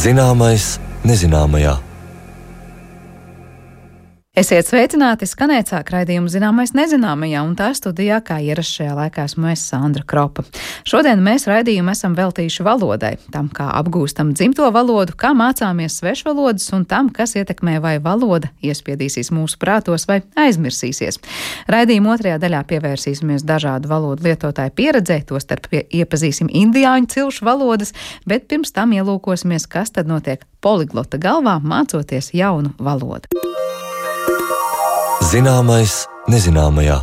Zināmais nezināmajā. Esiet sveicināti, skanēt sāk raidījumu Zināmais nezināmajā, un tā studijā, kā ierasts šajā laikā, esmu es, Sandra Kropa. Šodien mēs raidījumu esam veltījuši valodai, tam, kā apgūstam dzimto valodu, kā mācāmies svešvalodas un tam, kas ietekmē, vai valoda iespiedīsīs mūsu prātos vai aizmirsīsies. Raidījuma otrajā daļā pievērsīsimies dažādu valodu lietotāju pieredzei, tostarp iepazīsim indiāņu cilšu valodas, bet pirms tam ielūkosimies, kas tad notiek poliglota galvā, mācoties jaunu valodu. Zināmais nezināmajā.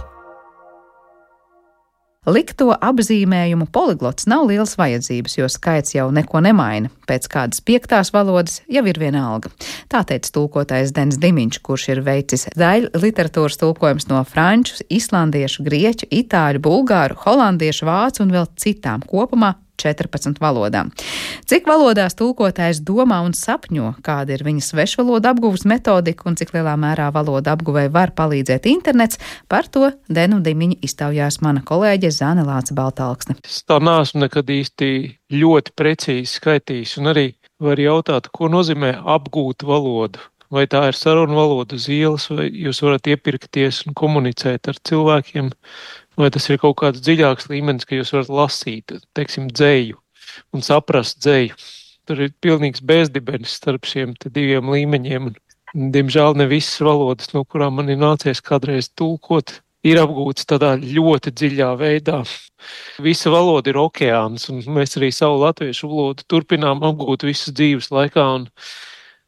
Likto apzīmējumu poliglots nav liels vajadzības, jo skaits jau neko nemaina. Pēc kādas 5. valodas jau ir vienalga. Tā teica tulkotājs Dens Dimiņš, kurš ir veicis daļu literatūras tulkojums no franču, islandiešu, grieķu, itāļu, bulgāru, holandiešu, vācu un vēl citām, kopumā 14 valodām. Cik valodās tulkotājs domā un sapņo, kāda ir viņa svešvaloda apguves metodika un cik lielā mērā valoda apguvei var palīdzēt internets, par to Denu Dimiņu iztaujās mana kolēģe Zane Lāce-Baltalksne. Es tā neesmu nekad īsti ļoti precīzi skaitījis, un arī var jautāt, ko nozīmē apgūt valodu. Vai tā ir sarunu valoda uz ielas, vai jūs varat iepirkties un komunicēt ar cilvēkiem, vai tas ir kaut kāds dziļāks līmenis, ka jūs varat lasīt, teiksim, dzeju un saprast dzeju. Tur ir pilnīgs bezdibenis starp šiem diviem līmeņiem. Un, diemžēl ne visas valodas, no kurām man ir nācies kādreiz tulkot, ir apgūtas tādā ļoti dziļā veidā. Visa valoda ir okeāns, un mēs arī savu latviešu valodu turpinām apgūt visas dzīves laikā, un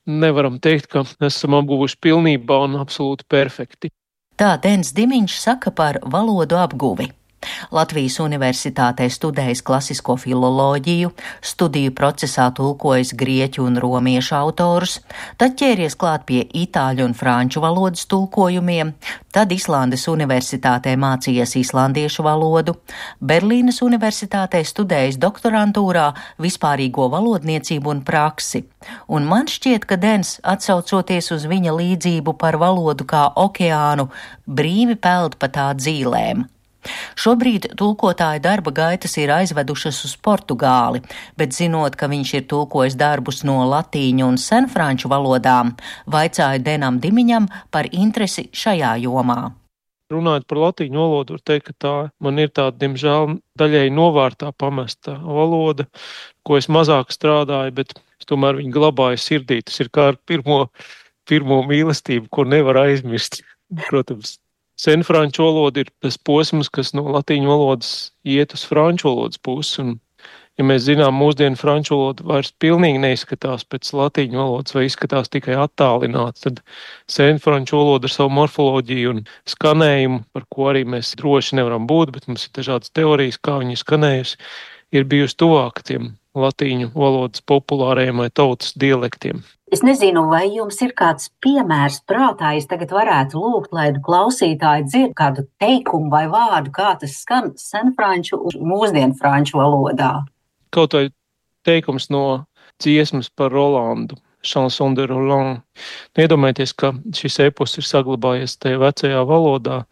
nevaram teikt, ka esam apguvuši pilnībā un absolūti perfekti. Tā Dens Dimiņš saka par valodu apguvi. Latvijas Universitātē studējis klasisko filoloģiju, studiju procesā tulkojis grieķu un romiešu autorus, tad ķēries klāt pie itāļu un franču valodas tulkojumiem, tad Islandes Universitātē mācījies islandiešu valodu, Berlīnes Universitātē studējis doktorantūrā vispārīgo valodniecību un praksi. Un man šķiet, ka Dens, atsaucoties uz viņa līdzību par valodu kā okeānu, brīvi peld pa tā dzīlēm. Šobrīd tulkotāja darba gaitas ir aizvedušas uz Portugāli, bet zinot, ka viņš ir tulkojis darbus no latīņu un senfranču valodām, vaicāju Denam Dimiņam par interesi šajā jomā. Runājot par latīņu valodu, var teikt, ka tā man ir tāda, diemžēl, daļēji novārtā pamesta valoda, ko es mazāk strādāju, bet es tomēr viņu glabāju sirdī. Tas ir kā ar pirmo mīlestību, ko nevar aizmirst, protams. Senfranču valoda ir tas posms, kas no latīņu valodas iet uz franču valodas pusi, un, ja mēs zinām, mūsdienu franču valoda vairs pilnīgi neizskatās pēc latīņu valodas vai izskatās tikai attālināts, tad senfranču valoda ar savu morfoloģiju un skanējumu, par ko arī mēs droši nevaram būt, bet mums ir dažādas teorijas, kā viņi skanējusi, ir bijusi tuvāk tiem latīņu valodas populārajiem vai tautas dialektiem. Es nezinu, vai jums ir kāds piemērs prātā, es tagad varētu lūgt, lai klausītāji dzird kādu teikumu vai vārdu, kā tas skan senfranču un mūsdienu franču valodā. Kaut vai teikums no dziesmas par Rolandu, Chanson de Roland. Iedomājieties, ka šis epos ir saglabājies tajā vecajā valodā,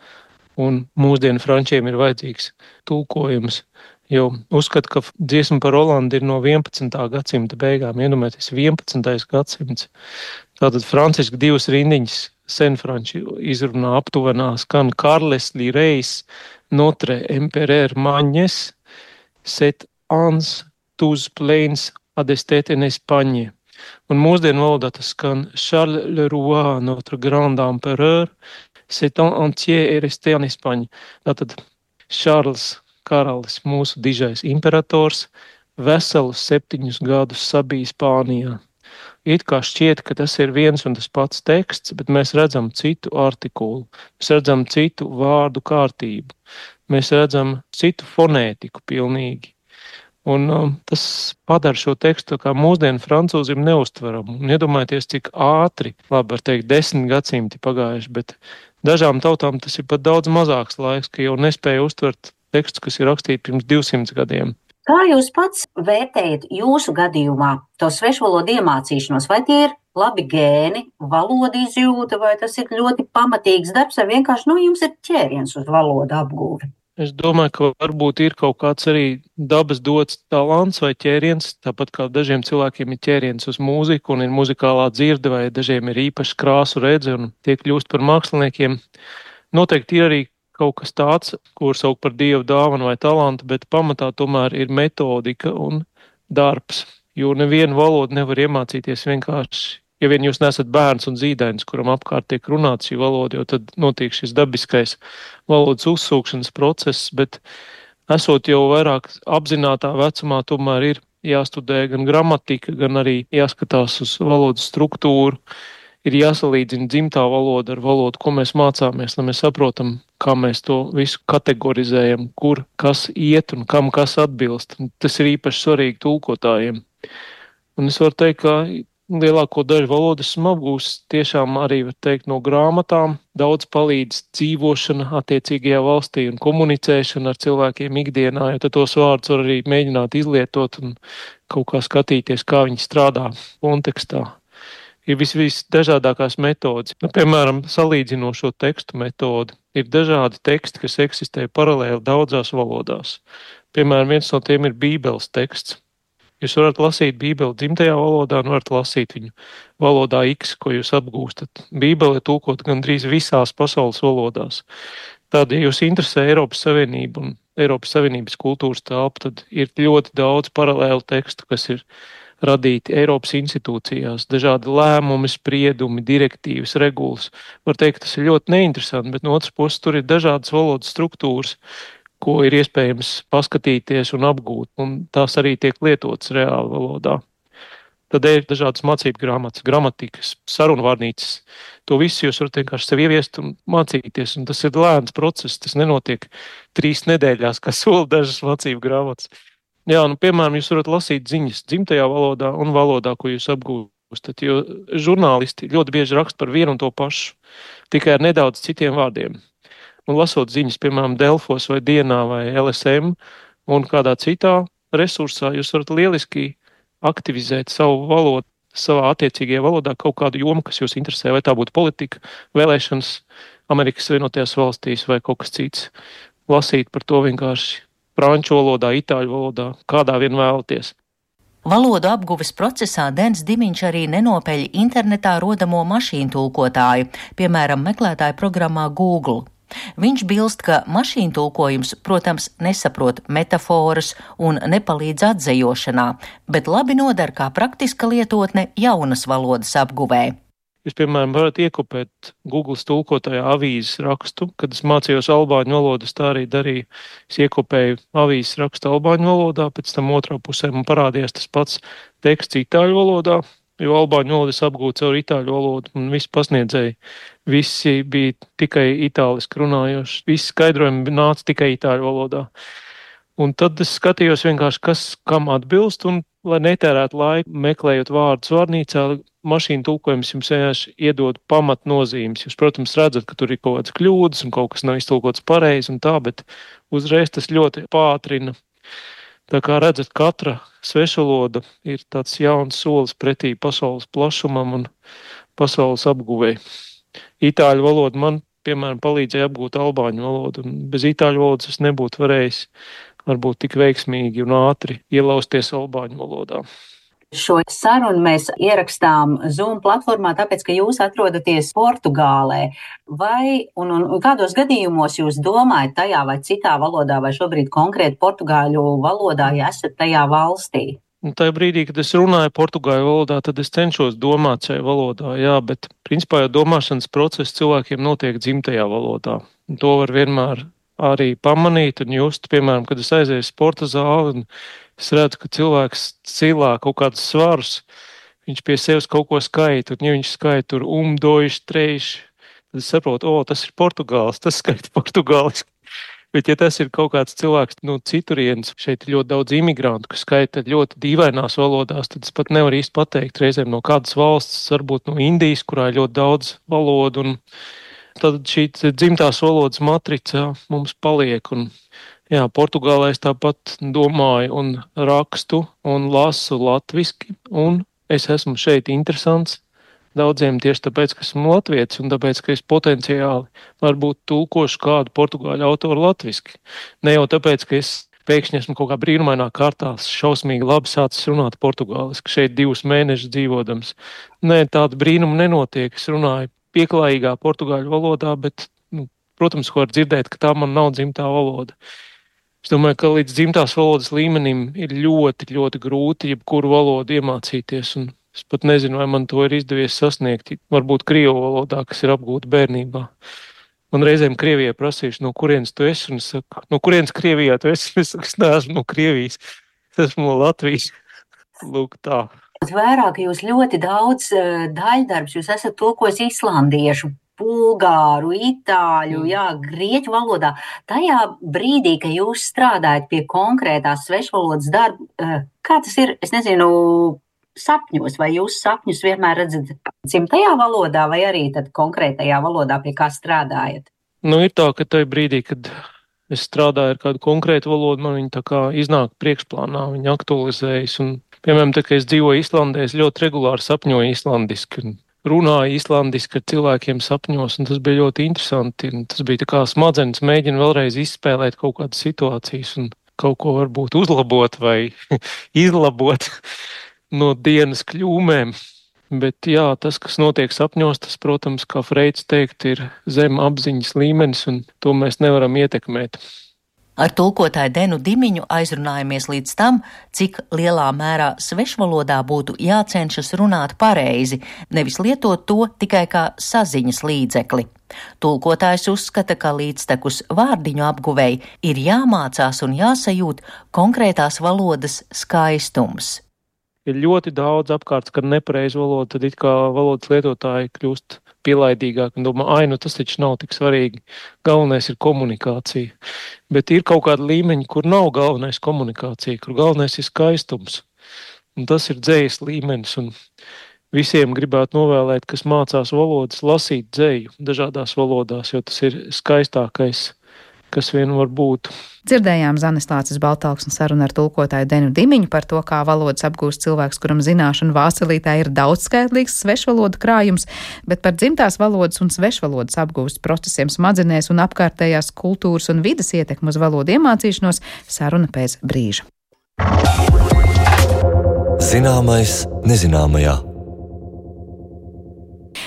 un mūsdienu frančiem ir vajadzīgs tulkojums. Jo uzskatu, ka dziesma par Rolandu ir no 11. gadsimta beigām, iedomājieties 11. gadsimts. Tātad franciski 2 rindiņas senfranči izrunā aptuvenā skan Carles Lireis, Notre Empereur Magnes, set ans tous plains adestet en Espagne. Un mūsdienu valodā tas skan Charles le Roi, Notre Grand Empereur, set entier et resté en Espagne. Tātad Charles karalis, mūsu dižais imperators, veselus 7 gadus sabija Spānijā. It kā šķiet, ka tas ir viens un tas pats teksts, bet mēs redzam citu artikulu, mēs redzam citu vārdu kārtību, mēs redzam citu fonētiku pilnīgi. Un tas padara šo tekstu kā mūsdienu francūzim neustveramu. Un iedomājieties, cik ātri, labi var teikt, 10 gadsimti pagājuši, bet dažām tautām tas ir pat daudz mazāks laiks, ka jau nespēja uztvert tekstu, kas ir rakstīti pirms 200 gadiem. Kā jūs pats vērtējat jūsu gadījumā to svešvalodu iemācīšanos? Vai tie ir labi gēni, valoda izjūta, vai tas ir ļoti pamatīgs darbs, vai vienkārši jums ir ķēriens uz valodu apgūvi? Es domāju, ka varbūt ir kaut kāds arī dabas dots talants vai ķēriens, tāpat kā dažiem cilvēkiem ir ķēriens uz mūziku un ir muzikālā dzirde, vai dažiem ir īpaši krāsu redze un tie kļūst par māksliniekiem. Noteikti ir arī kaut kas tāds, ko sauc par dievu dāvanu vai talantu, bet pamatā tomēr ir metodika un darbs, jo nevienu valodu nevar iemācīties vienkārši. Ja vien jūs nesat bērns un zīdainis, kuram apkārt tiek runāts šī valoda, jo tad notiek šis dabiskais valodas uzsūkšanas process, bet esot jau vairāk apzinātā vecumā, tomēr ir jāstudē gan gramatika, gan arī jāskatās uz valodas struktūru, ir jāsalīdzina dzimtā valoda ar valodu, ko mēs mācāmies, lai mēs saprotam, kā mēs to visu kategorizējam, kur kas iet un kam kas atbilst. Tas ir īpaši svarīgi tulkotājiem. Un es varu teikt, ka lielāko daļu valodas esmu apgūstis tiešām arī, var teikt, no grāmatām. Daudz palīdz dzīvošana attiecīgajā valstī un komunicēšana ar cilvēkiem ikdienā, jo tad tos vārdus var arī mēģināt izlietot un kaut kā skatīties, kā viņi strādā kontekstā. Ir visdažādākās metodas. Piemēram, salīdzinošo tekstu metodi. Ir dažādi teksti, kas eksistē paralēli daudzās valodās. Piemēram, viens no tiem ir Bībeles teksts. Jūs varat lasīt Bībeli dzimtajā valodā un varat lasīt viņu valodā X, ko jūs apgūstat. Bībele ir tulkota gandrīz visās pasaules valodās. Tad, ja jūs interesē Eiropas Savienību un Eiropas Savienības kultūras telpa, tad ir ļoti daudz paralēlu tekstu, kas ir radīti Eiropas institūcijās, dažādi lēmumi, spriedumi, direktīvas, regulas. Var teikt, tas ir ļoti neinteresanti, bet no otras puses tur ir dažādas valodas struktūras, ko ir iespējams paskatīties un apgūt, un tās arī tiek lietotas reāli valodā. Tad ir dažādas mācību grāmatas, gramatikas, sarunvārnīcas. To visu jūs varat vienkārši sev ieviest un mācīties, un tas ir lēns process, tas nenotiek 3 nedēļās, kā sola dažas mācību grāmatas. Jā, piemēram, jūs varat lasīt ziņas dzimtajā valodā un valodā, ko jūs apgūstat, jo žurnālisti ļoti bieži raksta par vienu un to pašu, tikai ar nedaudz citiem vārdiem. Un lasot ziņas, piemēram, Delfos vai Dienā vai LSM un kādā citā resursā, jūs varat lieliski aktivizēt savu valodu, savā attiecīgajā valodā kaut kādu jomu, kas jūs interesē, vai tā būtu politika, vēlēšanas Amerikas Savienotajās valstīs vai kaut kas cits. Lasīt par to vienkārši franču valodā, itāļu valodā, kādā vien vēlaties. Valodu apguves procesā Dens Dimiņš arī nenopeļ internetā rodamo mašīnu tulkotāju, piemēram, meklētāju programmā Google. Viņš bilst, ka mašīnu tulkojums, protams, nesaprot metaforas un nepalīdz atzejošanā, bet labi noder kā praktiska lietotne jaunas valodas apguvē. Jūs, piemēram, varat iekopēt Google tulkotajā avīzes rakstu. Kad es mācījos albāņu valodas, tā arī darīju. Es iekopēju avīzes rakstu albāņu valodā, pēc tam otrā pusē man parādījās tas pats teksts itāļu valodā, jo albāņu valodas apgūta caur itāļu valodu un visi pasniedzēji. Visi bija tikai itāliski runājoši. Visi skaidrojumi nāca tikai itāļu valodā. Un tad es skatījos vienkārši, kas kam atbilst, un, lai netērētu laiku meklējot vārdus vārnīcā, mašīnu tulkojums jums vienkārši iedod pamatnozīmes. Jūs, protams, redzat, ka tur ir kaut kādas kļūdas un kaut kas nav iztulkots pareizi un tā, bet uzreiz tas ļoti pātrina. Tā kā redzat, katra svešvaloda ir tāds jauns solis pretī pasaules plašumam un pasaules apguvei. Itāļu valoda man, piemēram, palīdzēja apgūt albāņu valodu, un bez itāļu valodas es nebūtu varējis varbūt tik veiksmīgi un ātri ielausties albāņu valodā. Šo sarunu mēs ierakstām Zoom platformā, tāpēc, ka jūs atrodaties Portugālē. Vai un kādos gadījumos jūs domājat tajā vai citā valodā, vai šobrīd konkrēti portugāļu valodā, ja esat tajā valstī? Tajā brīdī, kad es runāju portugāļu valodā, tad es cenšos domāt šajā valodā, jā, bet principā jau domāšanas process cilvēkiem notiek dzimtajā valodā. Un to var vienmēr arī pamanīt un just, piemēram, kad es aizēju sporta zāli un es redzu, ka cilvēks cilā kaut kādus svarus, viņš pie sevis kaut ko skaita, un ja viņš skaita tur dojuši, treiši, tad es saprotu, tas ir Portugāls, tas skaita portugāliski. Bet ja tas ir kaut kāds cilvēks no citurienes, šeit ir ļoti daudz imigrantu, kas skaita ļoti dīvainās valodās, tad es pat nevaru īsti pateikt reizēm no kādas valsts, varbūt no Indijas, kurā ir ļoti daudz valodu, un tad šī dzimtās valodas matrica mums paliek, un Jā, Portugālē es tāpat domāju un rakstu un lasu latviski, un es esmu šeit interesants daudziem tieši tāpēc, ka esmu latvietis un tāpēc, ka es potenciāli varbūt tulkošu kādu portugāļu autoru latviski. Ne jau tāpēc, ka es pēkšņi esmu kaut kā brīnumainā kārtā šausmīgi labi sācis runāt portugāliski, šeit 2 mēnešus dzīvodams. Nē, tāda brīnuma nenotiek. Es runāju pieklājīgā portugāļu valodā, bet, protams, ko var dzirdēt, ka tā man nav dzimtā valoda. Es domāju, ka līdz dzimtās valodas līmenim ir ļoti, ļoti grūti jebkuru valodu iemācīties, un es pat nezinu, vai man to ir izdevies sasniegt, varbūt krievu valodā, kas ir apgūta bērnībā. Man reizēm Krievijai prasījuši, no kurienes tu esi, un es saku, no kurienes Krievijā tu esi? Es saku, es neesmu no Krievijas, es esmu no Latvijas. Lūk tā. Vairāk jūs ļoti daudz daļdarbs, jūs esat tulkojis islandiešu, bulgāru, itāļu, grieķu valodā. Tajā brīdī, kad jūs strādājat pie konkrētās svešvalodas darba, kā tas ir, es nezinu, sapņos, vai jūs sapņus vienmēr redzat dzimtajā valodā, vai arī tad konkrētajā valodā, pie kā strādājat? Ir tā, ka tajā brīdī, kad es strādāju ar kādu konkrētu valodu, man viņa tā kā iznāk priekšplānā, viņa aktualizējas. Un, piemēram, tā, ka es dzīvoju Islandē, es ļoti regulāri sapņoju islandiski un runāju islandiski ar cilvēkiem sapņos, un tas bija ļoti interesanti. Un tas bija tā kā smadzenes mēģina vēlreiz izspēlēt kaut kādas situācijas un kaut ko varbūt uzlabot vai izlabot no dienas kļūmēm. Bet jā, tas, kas notiek sapņos, tas, protams, kā Freids teikt, ir zem apziņas līmenis, un to mēs nevaram ietekmēt. Ar tulkotāju Denu Dimiņu aizrunājamies līdz tam, cik lielā mērā svešvalodā būtu jācenšas runāt pareizi, nevis lietot to tikai kā saziņas līdzekli. Tulkotājs uzskata, ka līdztekus vārdiņu apguvēji ir jāmācās un jāsajūt konkrētās valodas skaistums. Ir ļoti daudz apkārt, kad nepareiz valoda, tad it kā valodas lietotāji kļūst pielaidīgāk un domā, tas taču nav tik svarīgi. Galvenais ir komunikācija. Bet ir kaut kāda līmeņa, kur nav galvenais komunikācija, kur galvenais ir skaistums. Un tas ir dzejas līmenis, un visiem gribētu novēlēt, kas mācās valodas, lasīt dzeju dažādās valodās, jo tas ir skaistākais, kas vien var būt. Dzirdējām Zanes Lāces Baltalksnes sarunu ar tulkotāju Denu Dimiņu par to, kā valodas apgūst cilvēks, kuram zināšanu vācelītē ir daudzskaitlīgs svešvalodu krājums, bet par dzimtās valodas un svešvalodas apgūst procesiem smadzenēs un apkārtējās kultūras un vides ietekmu uz valodu iemācīšanos saruna pēc brīža. Zināmais nezināmajā.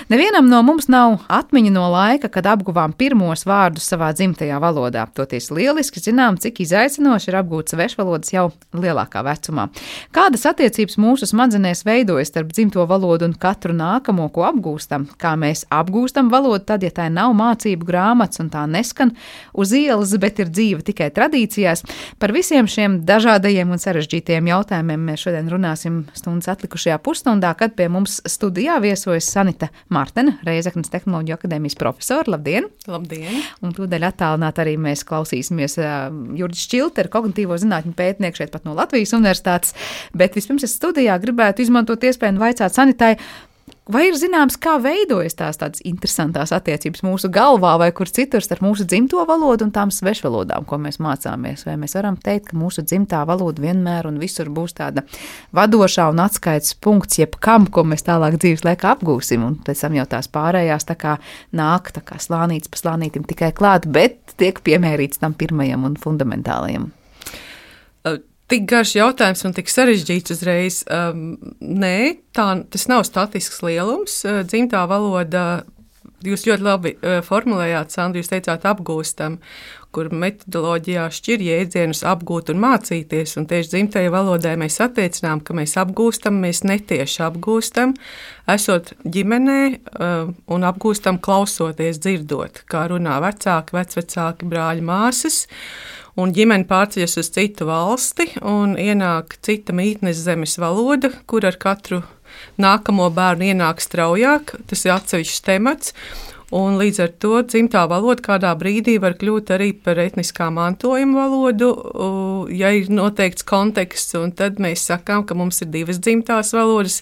Nevienam no mums nav atmiņa no laika, kad apguvām pirmos vārdus savā dzimtajā valodā. Toties lieliski zinām, cik izaicinoši ir apgūt svešvalodas jau lielākā vecumā. Kādas attiecības mūsu smadzenēs veidojas starp dzimto valodu un katru nākamo, ko apgūstam? Kā mēs apgūstam valodu tad, ja tā nav mācību grāmatas un tā neskan uz ielas, bet ir dzīva tikai tradīcijās? Par visiem šiem dažādajiem un sarežģītajiem jautājumiem mēs šodien runāsim stundas atlikušajā pusstundā, kad pie mums studijā viesojas Sanita Martena, Reizeknas Tehnoloģiju akadēmijas profesora. Labdien! Labdien! Un tūdaļ attālināt arī mēs klausīsimies Jurģis Čilteru, kognitīvo zinātņu pētnieku šeit pat no Latvijas universitātes. Bet vispirms es studijā gribētu izmantot iespēju un vaicāt Sanitai, vai ir zināms, kā veidojas tādas interesantās attiecības mūsu galvā vai kur citur starp mūsu dzimto valodu un tām svešvalodām, ko mēs mācāmies? Vai mēs varam teikt, ka mūsu dzimtā valoda vienmēr un visur būs tāda vadošā un atskaites punkts jebkam, ko mēs tālāk dzīves laikā apgūsim, un pēc tam jau tās pārējās tā kā nāk tā kā slānītis pa slānītim tikai klāt, bet tiek piemērīts tam pirmajam un fundamentālajam? Tik garš jautājums un tik sarežģīts uzreiz. Nē, tas nav statisks lielums. Dzimtā valoda, jūs ļoti labi formulējāt, Sandra, jūs teicāt apgūstam, kur metodoloģijā šķir jēdzienus apgūt un mācīties, un tieši dzimtajai valodai mēs attiecinām, ka mēs apgūstam, mēs netieši apgūstam, esot ģimenē un apgūstam klausoties, dzirdot, kā runā vecāki, vecvecāki, brāļi, māsas. Un ģimene pārceļas uz citu valsti un ienāk cita mītnes zemes valoda, kur ar katru nākamo bērnu ienāk straujāk. Tas ir atsevišķs temats. Un līdz ar to dzimtā valoda kādā brīdī var kļūt arī par etniskā mantojuma valodu, ja ir noteikts konteksts, un tad mēs sakām, ka mums ir 2 dzimtās valodas,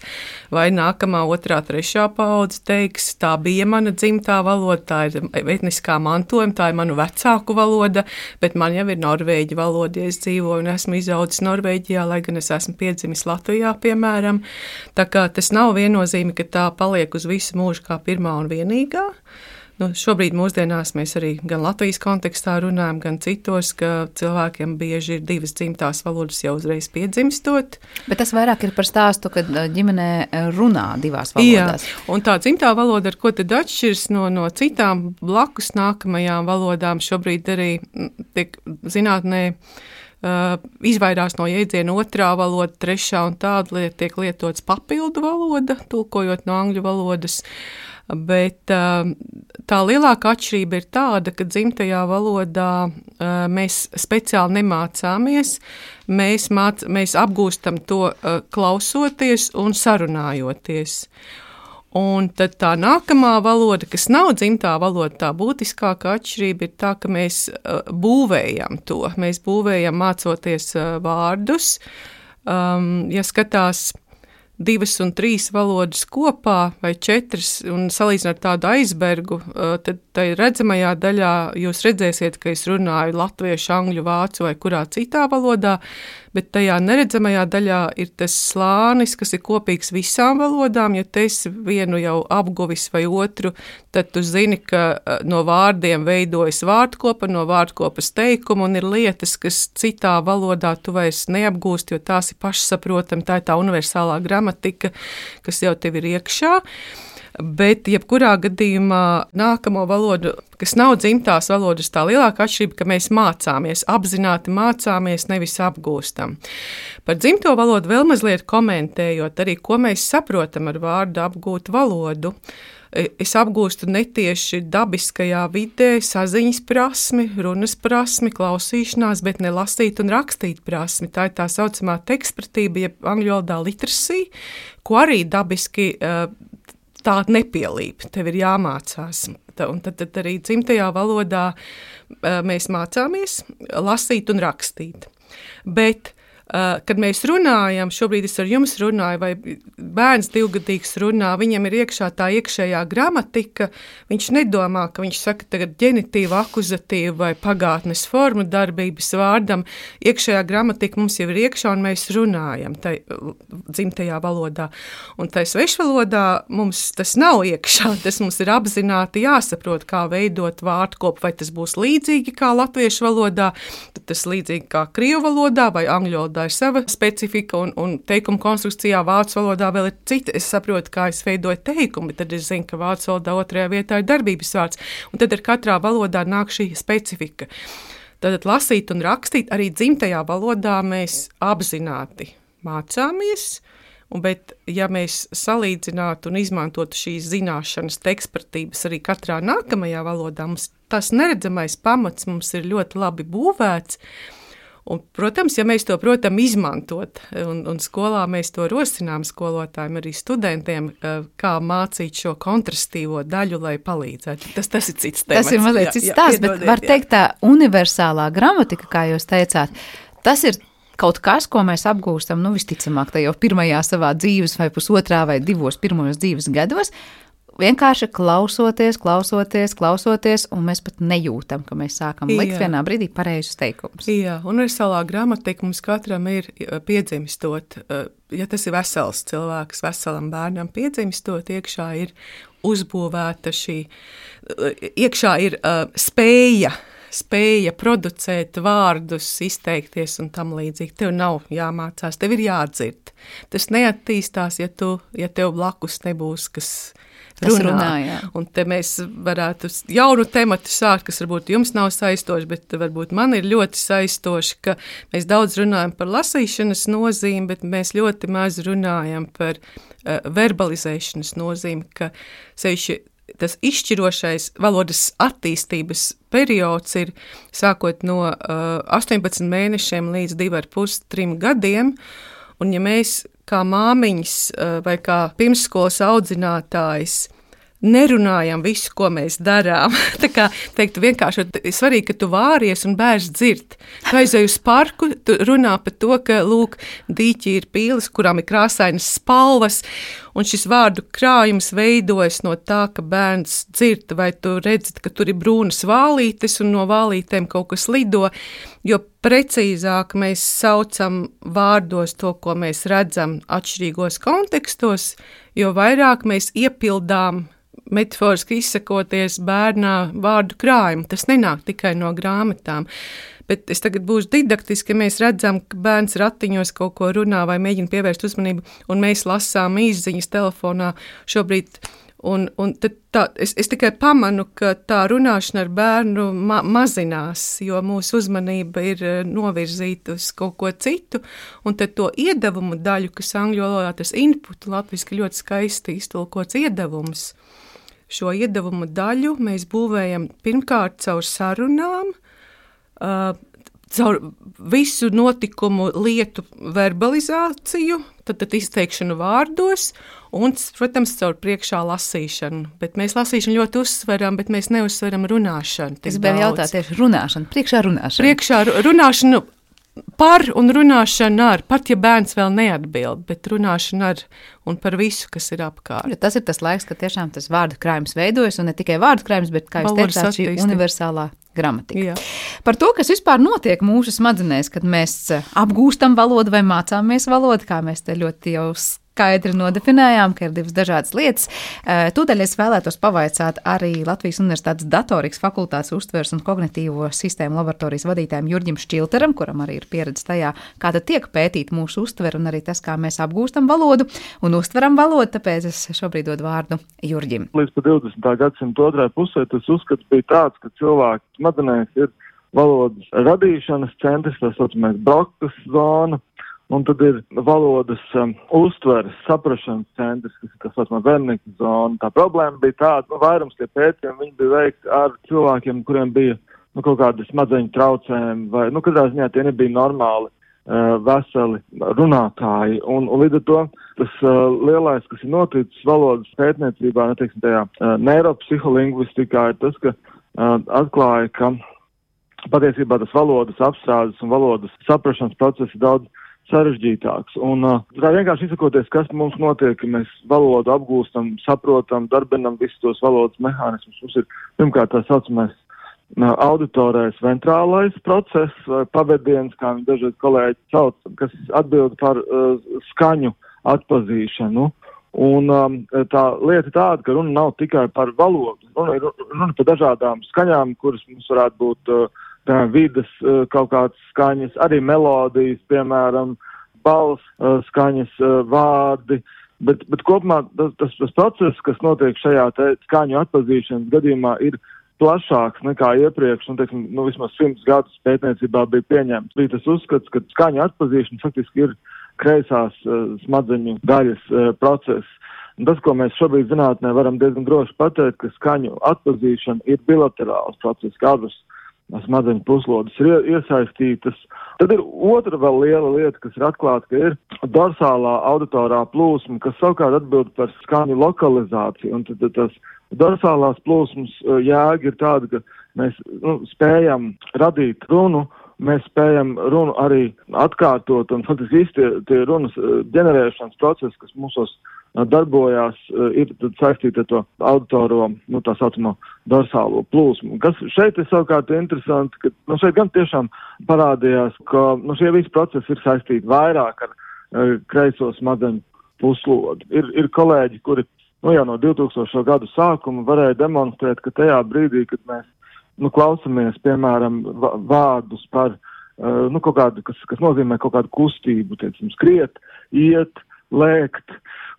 vai nākamā 2., 3. paudze teiks, tā bija mana dzimtā valoda, tā ir etniskā mantojuma, tā ir manu vecāku valoda, bet man jau ir norvēģi valoda, ja es dzīvoju un esmu izaudzis Norvēģijā, lai gan es esmu piedzimis Latvijā, piemēram. Tā kā tas nav viennozīmīgi, ka tā paliek uz visu mūžu kā pirmā un vienīgā. Šobrīd mūsdienās mēs arī gan Latvijas kontekstā runājam, gan citos, ka cilvēkiem bieži ir 2 dzimtās valodas jau uzreiz piedzimstot. Bet tas vairāk ir par stāstu, kad ģimenē runā 2 valodās. Jā, un tā dzimtā valoda, ar ko tad atšķirs no citām blakus nākamajām valodām, šobrīd arī tiek zinātnē izvairās no jēdziena 2. valoda, 3. un tāda tiek lietots papildu valoda, tulkojot no angļu valodas. Bet tā lielākā atšķirība ir tāda, ka dzimtajā valodā mēs speciāli nemācāmies, mēs apgūstam to klausoties un sarunājoties. Un tad tā nākamā valoda, kas nav dzimtā valoda, tā būtiskākā atšķirība ir tā, ka mēs būvējam to. Mēs būvējam mācoties vārdus. Ja skatās 2 un 3 valodas kopā vai 4 un salīdzināt tādu aizbergu, tad tai redzamajā daļā jūs redzēsiet, ka es runāju latviešu, angļu, vācu vai kurā citā valodā, bet tajā neredzamajā daļā ir tas slānis, kas ir kopīgs visām valodām. Ja tu esi vienu jau apguvis vai otru, tad tu zini, ka no vārdiem veidojas vārdkopa, no vārdkopas teikuma, un ir lietas, kas citā valodā tu vairs neapgūst, jo tās ir pašsaprotami, tā ir tā universālā gramatika, kas jau tev ir iekšā. Bet jebkurā gadījumā nākamo valodu, kas nav dzimtās valodas, tā lielākā atšķirība, ka mēs mācāmies, apzināti mācāmies, nevis apgūstam. Par dzimto valodu vēl mazliet komentējot arī, ko mēs saprotam ar vārdu apgūt valodu. Es apgūstu netieši dabiskajā vidē saziņas prasmi, runas prasmi, klausīšanās, bet ne lasīt un rakstīt prasmi. Tā ir tā saucamā tekstpratība, jeb angļu valodā literacy, ko arī dabiski tā nepielīp, tev ir jāmācās. Un tad arī dzimtajā valodā mēs mācāmies lasīt un rakstīt. Bet, kad mēs runājam, šobrīd es ar jums runāju, vai bērns 2-gadīgs runā, viņam ir iekšā tā iekšējā gramatika, viņš nedomā, ka viņš saka tagad ģenitīvu, akuzatīvu vai pagātnes formu darbības vārdam. Iekšējā gramatika mums jau ir iekšā, un mēs runājam tai dzimtajā valodā. Un tai svešvalodā mums tas nav iekšā, tas mums ir apzināti jāsaprot, kā veidot vārdkopu, vai tas būs līdzīgi kā latviešu valodā, tad tas līdzīgi kā krievu valodā vai angļu valodā ir sava specifika, un teikuma konstrukcijā vācu valodā vēl ir cita. Es saprotu, kā es veidoju teikumu, bet tad es zinu, ka vācu valodā 2. vietā ir darbības vārds, un tad ar katrā valodā nāk šī specifika. Tad lasīt un rakstīt arī dzimtajā valodā mēs apzināti mācāmies, bet ja mēs salīdzinātu un izmantotu šīs zināšanas tekstpratības arī katrā nākamajā valodā, mums tas neredzamais pamats mums ir ļoti labi būvēts. Un, protams, ja mēs to protam izmantot, un skolā mēs to rosinām skolotājiem, arī studentiem, kā mācīt šo kontrastīvo daļu, lai palīdzētu. Tas ir cits temats. Tas ir mazliet cits stāsts, bet var teikt tā universālā gramatika, kā jūs teicāt, tas ir kaut kas, ko mēs apgūstam, visticamāk, tajā pirmajā savā dzīves vai 1,5 vai 2 pirmajos dzīves gados, vienkārši klausoties, un mēs pat nejūtam, ka mēs sākam likt vienā brīdī pareizus teikumus. Jā, universālā gramatika mums katram ir piedzimstot, ja tas ir vesels cilvēks, veselam bērnam piedzimstot, iekšā ir uzbūvēta šī, iekšā ir spēja producēt vārdus, izteikties un tam līdzīgi. Tev nav jāmācās, tev ir jādzird. Tas neattīstās, ja tev blakus nebūs, kas runā. Un te mēs varētu jaunu tematu sākt, kas varbūt jums nav saistoši, bet varbūt man ir ļoti saistoši, ka mēs daudz runājam par lasīšanas nozīmi, bet mēs ļoti maz runājam par verbalizēšanas nozīmi, ka sevišķi tas izšķirošais valodas attīstības periods ir sākot no 18 mēnešiem līdz 2,5–3 gadiem, un ja mēs kā māmiņas vai kā pirmsskolas audzinātājs nerunājam visu, ko mēs darām. Tā kā teiktu vienkārši, svarīgi, ka tu vāries un bērns dzird. Tu aizej uz parku, tu runā par to, ka, lūk, dīķi ir pīles, kurām ir krāsainas spalvas, un šis vārdu krājums veidojas no tā, ka bērns dzird, vai tu redzi, ka tur ir brūnas vālītes, un no vālītēm kaut kas lido, jo precīzāk mēs saucam vārdos to, ko mēs redzam atšķirīgos kontekstos, jo vairāk mēs iepildām metaforiski izsakoties bērnā vārdu krājumu. Tas nenāk tikai no grāmatām. Bet es tagad būšu didaktiski, ka mēs redzam, ka bērns ratiņos kaut ko runā vai mēģina pievērst uzmanību, un mēs lasām īsziņas telefonā šobrīd. Un tad es tikai pamanu, ka tā runāšana ar bērnu mazinās, jo mūsu uzmanība ir novirzīta uz kaut ko citu, un tad to iedevumu daļu, kas angļu valodā tas input, latviski ļoti skaisti iztulkots iedevums. Šo iedevumu daļu mēs būvējam pirmkārt caur sarunām, caur visu notikumu lietu verbalizāciju, tad izteikšanu vārdos un, protams, caur priekšā lasīšanu. Bet mēs lasīšanu ļoti uzsveram, bet mēs neuzsveram runāšanu. Es gribēju jautāt tieši runāšanu, priekšā runāšanu. Priekšā runāšanu par un runāšanu ar, pat ja bērns vēl neatbild, bet runāšanu ar un par visu, kas ir apkārt. Ja tas ir tas laiks, kad tiešām tas vārdu krājums veidojas, un ne tikai vārdu krājums, bet, kā jūs teicāt, šī universālā gramatika. Jā. Par to, kas vispār notiek mūsu smadzenēs, kad mēs apgūstam valodu vai mācāmies valodu, kā mēs te ļoti jau skaidri nodefinējām, ka ir divas dažādas lietas. Tūdaļ es vēlētos pavaicāt arī Latvijas Universitātes datorikas fakultātes uztveres un kognitīvo sistēmu laboratorijas vadītājiem Jurģim Šķilteram, kuram arī ir pieredze tajā, kā tad tiek pētīt mūsu uztveri un arī tas, kā mēs apgūstam valodu un uztveram valodu, tāpēc es šobrīd dodu vārdu Jurģim. Līdz pa 20. gadsimta otrā pusē tas uzskats bija tāds, ka cilvēku smadzenēs ir valodas radīšanas centrs, tā saucamais Brokas zona, un tad ir valodas uztveres, saprašanas centrs, kas ir tā saucamā Wernicka zona. Tā problēma bija tāda, vairums tie pētījumi, viņi bija veikti ar cilvēkiem, kuriem bija kaut kādi smadzeņu traucējumi, vai, katrā ziņā tie nebija normāli veseli runātāji. Un līdz ar to tas lielais, kas ir noticis valodas pētniecībā, tajā neiropsiholingvistikā, ir tas, ka atklāja, ka patiesībā tas valodas apstrādes un valodas saprašanas process ir daudz sarežģītāks. Un tā vienkārši izsakoties, kas mums notiek, ka mēs valodu apgūstam, saprotam, darbinam visus tos valodas mehānismus. Mums ir pirmkārt tā saucamais auditorais ventrālais process, vai pavadiens, kā viņi dažreiz kolēģi sauc, kas atbild par skaņu atpazīšanu. Un tā lieta tāda, ka runa nav tikai par valodu, runa par dažādām skaņām, kuras mums varētu būt vidas kaut kādas skaņas, arī melodijas, piemēram, balss skaņas, vārdi, bet kopumā tas process, kas notiek šajā skaņu atpazīšanas gadījumā, ir plašāks nekā iepriekš, un vismaz 100 gadus pētniecībā bija pieņemts. Bija tas uzskats, ka skaņu atpazīšana faktiski ir kreisās smadzeņu daļas process. Un tas, ko mēs šobrīd zinātnē varam diezgan droši pateikt, ka skaņu atpazīšana ir bilaterāls process, kā abas smadzeņu puslodes ir iesaistītas. Tad ir otra vēl liela lieta, kas ir atklāta, ka ir dorsālā auditorā plūsma, kas savukārt atbild par skaņu lokalizāciju. Un tad tas dorsālās plūsmas jēga ir tāda, ka mēs spējam radīt runu, mēs spējam runu arī atkārtot, un faktiski tie runas ģenerēšanas procesi, kas mūsos darbojās, ir saistīti ar to auditoro, tā saucamo dorsālo plūsmu. Kas šeit ir savukārt interesanti, ka šeit gan tiešām parādījās, ka šie visi procesi ir saistīti vairāk ar kreiso smadzeņu puslodi. Ir kolēģi, kuri jau no 2000. Gadu sākuma varēja demonstrēt, ka tajā brīdī, kad mēs klausamies, piemēram, vārdus par kaut kādu, kas nozīmē kaut kādu kustību, skriet, iet, lēkt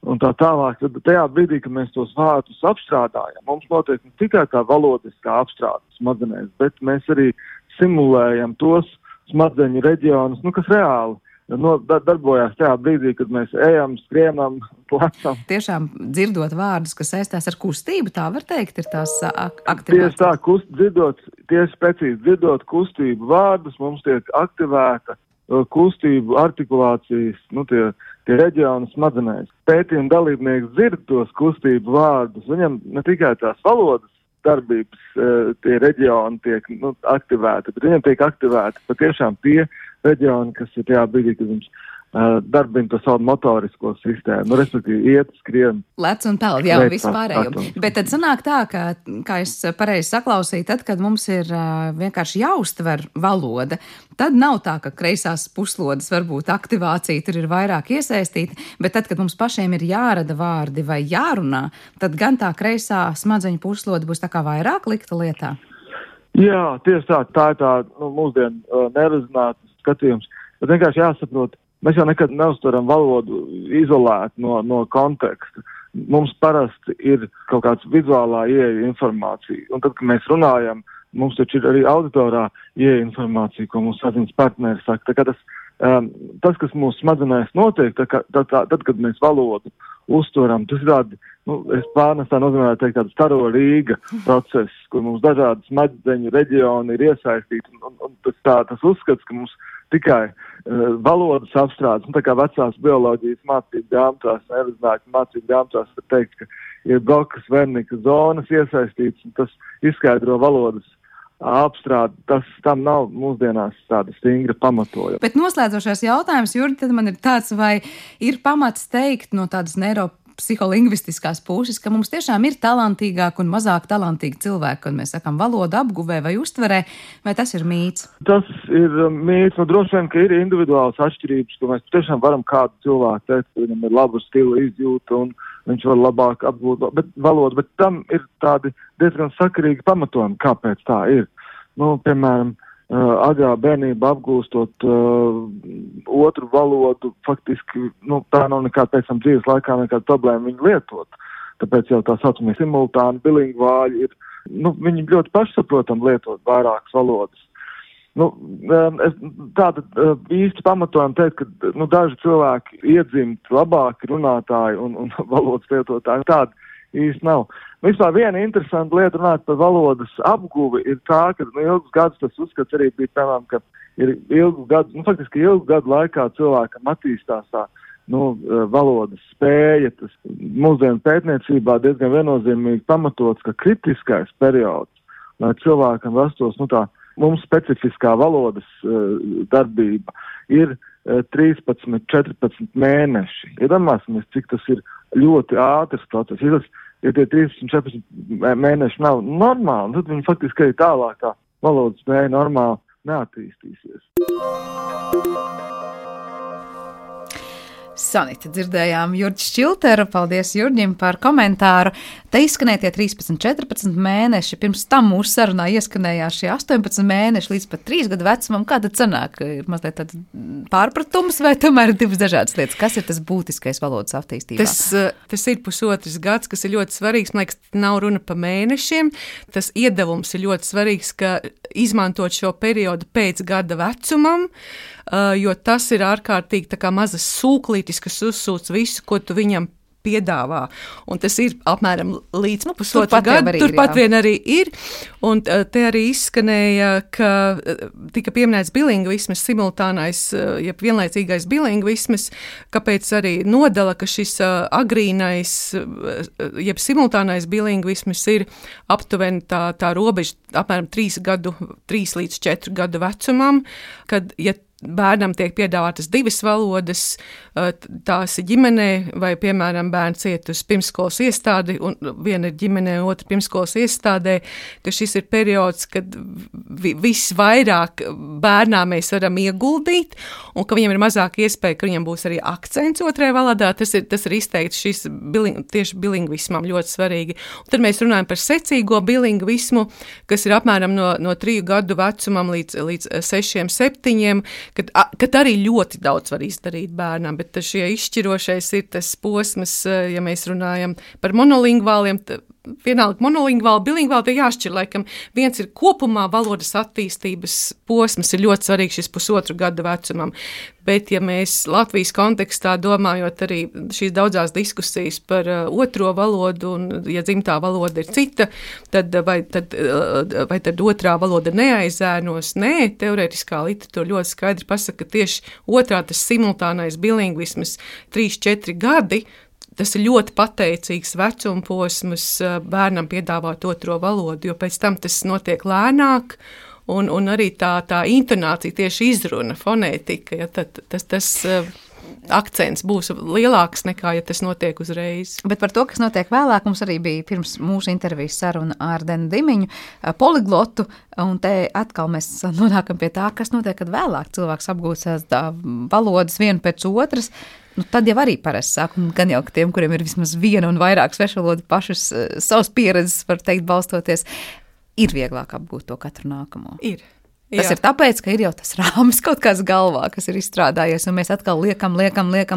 un tā tālāk. Tad tajā brīdī, kad mēs tos vārdus apstrādājam, mums notiek ne tikai tā valodiskā apstrāde smadzenēs, bet mēs arī simulējam tos smadzeņu reģionus, kas reāli darbojās tajā brīdī, kad mēs ejam, skrienam, plecam. Tiešām dzirdot vārdus, kas saistās ar kustību, tā var teikt, ir tās aktivētas. Tieši tā, tieši precīzi dzirdot kustību vārdus, mums tiek aktivēta kustību, artikulācijas, tie tie reģioni smadzenēs. Pētījuma dalībnieks dzird tos kustību vārdus, viņam ne tikai tās valodas darbības tie reģioni tiek aktivēti, bet viņam tiek aktivēti patiešām tie reģioni, kas ir tajā brīdī, kad viņš darbina to savu motorisko sistēmu, respektīvi iet, skrien. Lec un peld, jā, vispārējo. Bet tad sanāk tā, ka, kā es pareizi saklausīju, tad, kad mums ir vienkārši jāuztver valoda, tad nav tā, ka kreisās puslodes varbūt aktivācija tur ir vairāk iesaistīta, bet tad, kad mums pašiem ir jārada vārdi vai jārunā, tad gan tā kreisā smadzeņu puslode būs tā kā vairāk likta lietā. Jā, tieši tā ir tā mūsdienu nerezināts skatījums, bet vienkārši jāsaprot, mēs jau nekad neuztveram valodu izolēt no konteksta. Mums parasti ir kaut kāds vizuālā ieeja informācija. Un tad, kad mēs runājam, mums taču ir arī auditorā ieeja informācija, ko mums saziņas partneri saka. Tā kā tas, kas mūsu smadzenēs notiek, tad, kad mēs valodu uztveram, tas ir tādi, es pārnestā nozīmē teikt tādu staro Rīga procesu, kur mums dažādi smadzeņu reģioni ir iesaistīti. Un tas uzskats, ka mums tikai valodas apstrādes, tā kā vecās bioloģijas mācību grāmatās, nerezinājumu mācību grāmatās, var teikt, ka ir Brokas, Wernicka zonas iesaistīts, un tas izskaidro valodas apstrādi. Tam nav mūsdienās tāda stingra pamatojuma. Bet noslēdzošais jautājums, Jurgi, tad man ir tāds, vai ir pamats teikt no tādas psiholingvistiskās puses, ka mums tiešām ir talantīgāk un mazāk talantīgi cilvēki, kad mēs sakām valodu apguvē vai uztverē, vai tas ir mīts? Tas ir mīts, droši vien, ka ir individuāls atšķirības, ka mēs tiešām varam kādu cilvēku teikt, ka viņam ir laba stila izjūta un viņš var labāk apgūt valodu, bet tam ir tādi diezgan sakarīgi pamatojumi, kāpēc tā ir. Piemēram, agrā bērnība apgūstot otru valodu, faktiski, tā nav nekāda pēc tam dzīves laikā nekāda problēma viņu lietot. Tāpēc jau tā saucamie simultāni bilingvāļi ir, viņi ļoti pašsaprotam lietot vairākas valodas. Tātad īsti pamatojam teikt, ka daži cilvēki iedzimt labāki runātāji un valodas lietotāji. Tāda īsti nav. Vispār viena interesanta lieta runāt par valodas apguvi ir tā, ka ilgus gadus tas uzskats arī bija, piemēram, ka ir ilgu gadu laikā cilvēkam attīstās tā valodas spēja. Tas mūsdienu pētniecībā diezgan viennozīmīgi pamatots, ka kritiskais periods, lai cilvēkam rastos mums specifiskā valodas darbība, ir 13-14 mēneši. Iedomāsimies, cik tas ir ļoti ātrs process. Ja tie 13-14 mēneši nav normāli, tad viņi faktiski arī tālāk tā valodas spēja normāli neattīstīsies. Sanita, dzirdējām Jurģi Šķilteru, paldies Jurģim par komentāru. Te izskanēja tie 13-14 mēneši, pirms tam mūsu sarunā ieskanējās šie 18 mēneši līdz pat 3 gadu vecumam. Kā tad sanāk? Ir mazliet tāds pārpratums vai tomēr ir divas dažādas lietas? Kas ir tas būtiskais valodas attīstībā? Tas ir pusotrs gads, kas ir ļoti svarīgs. Man liekas, nav runa pa mēnešiem. Tas iedevums ir ļoti svarīgs, ka izmantot šo periodu pēc gada vecumam, jo tas ir ārkārtīgi tā kā mazas sūklītis, kas uzsūc visu, ko tu viņam piedāvā. Un tas ir apmēram līdz pusotru gadu. Turpat vien arī ir. Un te arī izskanēja, ka tika pieminēts bilingvisms, simultānais, jeb vienlaicīgais bilingvisms, kāpēc arī nodala, ka šis agrīnais, jeb simultānais bilingvisms ir aptuveni tā robeža apmēram 3 līdz 4 gadu vecumam, kad, ja bērnam tiek piedāvātas divas valodas, tās ir ģimenē, vai, piemēram, bērns iet uz pirmskolas iestādi, un viena ir ģimenē, otra pirmskolas iestādē, ka šis ir periods, kad visvairāk bērnā mēs varam ieguldīt, un ka viņam ir mazāk iespēja, ka viņam būs arī akcents otrajā valodā. Tas ir izteikts šis tieši bilingvismam ļoti svarīgi. Un tad mēs runājam par secīgo bilingvismu, kas ir apmēram no 3 gadu vecumam līdz 6-7, kad arī ļoti daudz var izdarīt bērnam, bet šie izšķirošais ir tas posms, ja mēs runājam par monolingvāliem, vienalga monolingvāli, bilingvāli, tie jāšķir, laikam, viens ir kopumā valodas attīstības posms, ir ļoti svarīgs šis 1,5 gada vecumam, bet ja mēs Latvijas kontekstā domājot arī šīs daudzās diskusijas par otro valodu, un ja dzimtā valoda ir cita, tad vai tad otrā valoda neaizēnos? Nē, teorētiskā literatūra ļoti skaidri pasaka, ka tieši otrā tas simultānais bilingvisms 3-4 gadi, tas ir ļoti pateicīgs vecumposms bērnam piedāvāt otro valodu, jo pēc tam tas notiek lēnāk, un arī tā intonācija, tieši izruna, fonētika, ja, tas akcents būs lielāks nekā, ja tas notiek uzreiz. Bet par to, kas notiek vēlāk, mums arī bija pirms mūsu intervijas saruna ar Deni Dimiņu, poliglotu, un te atkal mēs nonākam pie tā, kas notiek, kad vēlāk cilvēks apgūstās valodas vienu pēc otras. Tad jau arī parasti sāk, un gan jau tiem, kuriem ir vismaz viena un vairāk svešvalodu pašas savas pieredzes, var teikt, balstoties, ir vieglāk apgūt to katru nākamo. Ir. Tas ir tāpēc, ka ir jau tas rāmis kaut kāds galvā, kas ir izstrādājies, un mēs atkal liekam,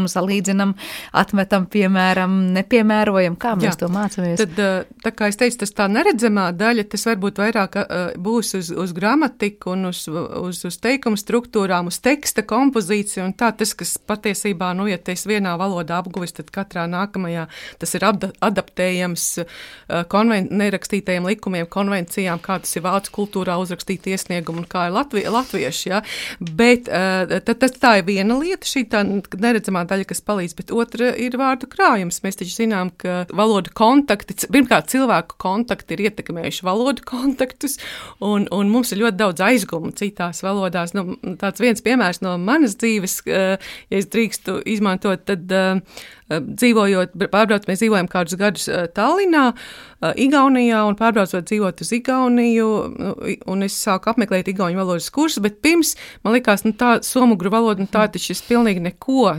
salīdzinam, atmetam, piemēram, nepiemērojam, kā mēs to mācāmies. Tad, tā kā es teicu, tas tā neredzamā daļa, tas varbūt vairāk būs uz gramatiku un uz teikumu struktūrām, uz teksta kompozīciju, un tā tas, kas patiesībā, ja es vienā valodā apguvis, tad katrā nākamajā tas ir adaptējams nerakstītajiem likumiem, konvencijām, kā tas ir vācu kultūrā uzrakstīt iesniegumu, un kā latvieši, ja? Bet tā ir viena lieta, šī tā neredzamā daļa, kas palīdz, bet otra ir vārdu krājums. Mēs taču zinām, ka valodu kontakti, pirmkārt cilvēku kontakti ir ietekmējuši valodu kontaktus, un mums ir ļoti daudz aizgumu citās valodās. Tāds viens piemērs no manas dzīves, ja es drīkstu izmantot, tad mēs dzīvojam kādus gadus Tallinā, Igaunijā, un pārbraucot dzīvot uz Igauniju, un es sāku apmeklēt igauņu valodas kursu, bet pirms man likās, tā somugru valoda, tā taču ir pilnīgi neko.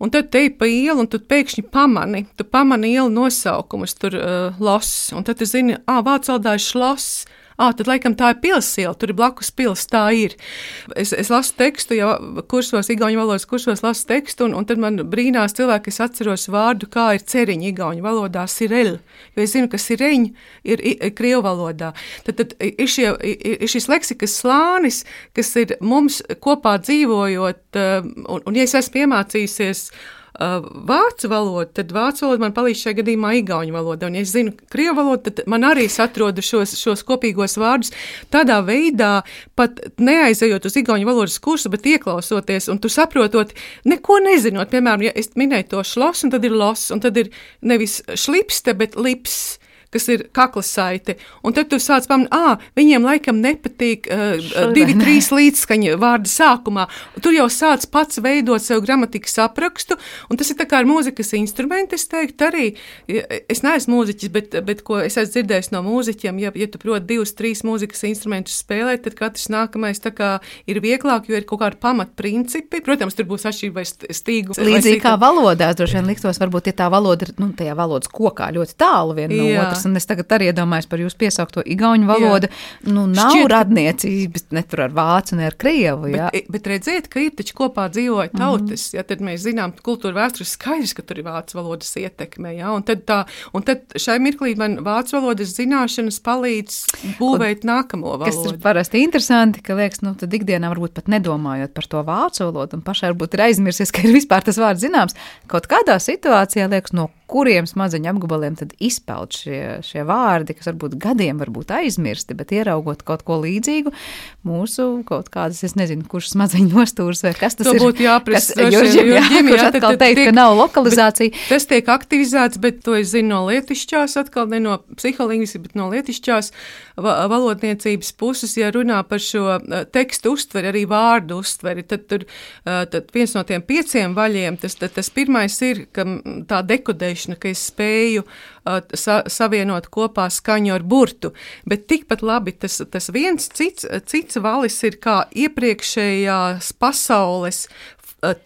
Un tad te pa ielu, un tu pēkšņi pamani ielu nosaukumus, tur los, un tad tu zini, vācu valodā ir šlos, tad laikam tā ir pilsiela, tur ir blakus pils, tā ir. Es lasu tekstu, jau kursos, igauņu valodas kursos lasu tekstu, un tad man brīnās cilvēki, es atceros vārdu, kā ir ceriņa igauņu valodā, sireļ, jo es zinu, ka sireņ ir krievu valodā. Tad ir šis leksikas slānis, kas ir mums kopā dzīvojot, un ja es esmu iemācījusies vācu valodu, tad vācu valoda man palīdz šajā gadījumā igauņu valoda, un ja es zinu krievu valodu, tad man arī atrodu šos kopīgos vārdus tādā veidā, pat neaizejot uz igauņu valodas kursu, bet ieklausoties, un tu saprotot, neko nezinot, piemēram, ja es minēju to šlos, un tad ir los, un tad ir nevis šlipste, bet lips, kas ir kaklasaite, un tad tu sāc pamanīt, viņiem laikam nepatīk 2-3 līdzskaņa vārda sākumā. Tur jau sāc pats veidot sev gramatikas aprakstu, un tas ir tā kā ar mūzikas instrumenti, es teiktu arī, es neesmu mūziķis, bet ko es esmu dzirdējis no mūziķiem, ja tu proti 2-3 mūzikas instrumentus spēlēt, tad katrs nākamais tā kā ir vieglāk, jo ir kaut kādi pamatprincipi. Protams, tur būs atšķirība vai stīgu. Līdzīgi kā valodās, droši vien liktos, varbūt, ja tā valoda ir, tajā valodas kokā ļoti tālu viena no otras. Un es tagad arī iedomājos par jūsu piesaukto igauņu valodu. Nav radniecības ne tur ar vācu, ne ar krievu. Bet redziet, ka ir taču kopā dzīvoja tautas. Ja, tad mēs zinām, kultūra vēstures skaidrs, ka tur ir vācu valodas ietekme. Ja, un tad šai mirklī man vācu valodas zināšanas palīdz būvēt nākamo valodu. Kas ir parasti interesanti, ka liekas, tad ikdienā varbūt pat nedomājot par to vācu valodu, un pašai varbūt ir aizmirsies, ka ir vispār tas vārds zināms. Kaut kādā situācijā liekas, no kuriem smadzeņu apgabaliem tad izpeld šie vārdi, kas varbūt gadiem varbūt aizmirsti, bet ieraugot kaut ko līdzīgu, mūsu kaut kādas, es nezinu, kurš smadzeņu nostūrs vai kas tas to ir. Būtu jāprasa kurš atkal teikt, ka nav lokalizācija. Tas tiek aktivizēts, bet to es zinu no lietišķās, atkal ne no psiholingvistikas, bet no lietišķās valodniecības puses, ja runā par šo tekstu uztveri, arī vārdu uztveri, tad viens no tiem 5 vaļiem, tas pirmais ir, ka tā dekodēšana, ka es spēju savienot kopā skaņu ar burtu, bet tikpat labi tas viens cits valis ir kā iepriekšējās pasaules